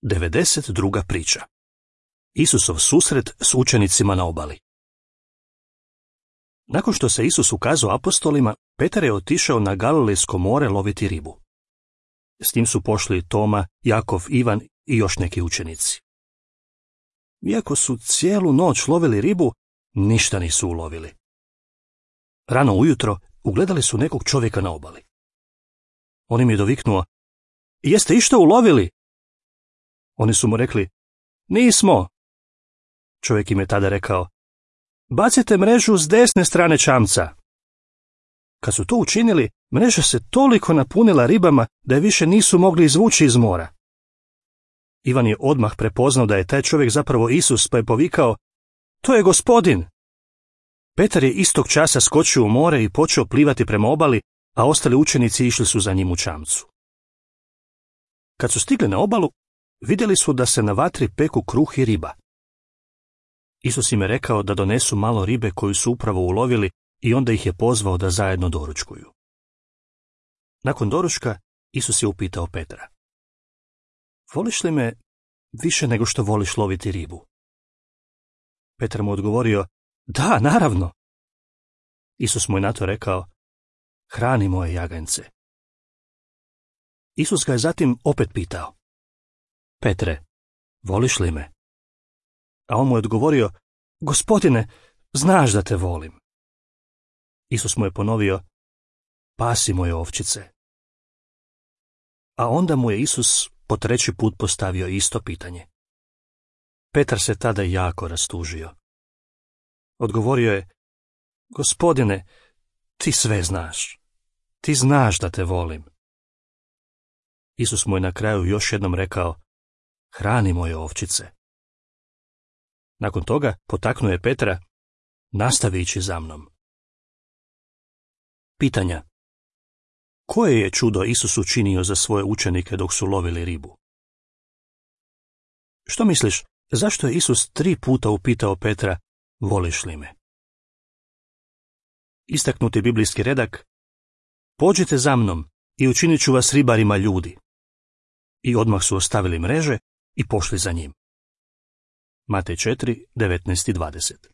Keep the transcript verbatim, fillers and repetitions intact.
devedeset druga priča. Isusov susret s učenicima na obali. Nakon što se Isus ukazao apostolima, Petar je otišao na Galilejsko more loviti ribu. S njim su pošli Toma, Jakov, Ivan i još neki učenici. Iako su cijelu noć lovili ribu, ništa nisu ulovili. Rano ujutro ugledali su nekog čovjeka na obali. On im je doviknuo: "Jeste išta ulovili?" Oni su mu rekli: "Nismo." Čovjek im je tada rekao: "Bacite mrežu s desne strane čamca." Kad su to učinili, mreža se toliko napunila ribama da je više nisu mogli izvući iz mora. Ivan je odmah prepoznao da je taj čovjek zapravo Isus, pa je povikao: "To je Gospodin!" Petar je istog časa skočio u more i počeo plivati prema obali, a ostali učenici išli su za njim u čamcu. Kad su stigli na obalu, vidjeli su da se na vatri peku kruh i riba. Isus im je rekao da donesu malo ribe koju su upravo ulovili i onda ih je pozvao da zajedno doručkuju. Nakon doručka, Isus je upitao Petra: "Voliš li me više nego što voliš loviti ribu?" Petar mu odgovorio: "Da, naravno." Isus mu je na to rekao: "Hrani moje jaganjce." Isus ga je zatim opet pitao: "Petre, voliš li me?" A on mu je odgovorio: "Gospodine, znaš da te volim." Isus mu je ponovio: "Pasi moje ovčice." A onda mu je Isus po treći put postavio isto pitanje. Petar se tada jako rastužio. Odgovorio je: "Gospodine, ti sve znaš. Ti znaš da te volim." Isus mu je na kraju još jednom rekao: "Hrani moje ovčice." Nakon toga potaknuo je Petra: "Nastavi ići za mnom." Pitanja. Koje je čudo Isus učinio za svoje učenike dok su lovili ribu? Što misliš, zašto je Isus tri puta upitao Petra: "Voliš li me?" Istaknuti biblijski redak: "Pođite za mnom i učinit ću vas ribarima ljudi." I odmah su ostavili mreže i pošli za njim. Matej četiri, devetnaest i dvadeset.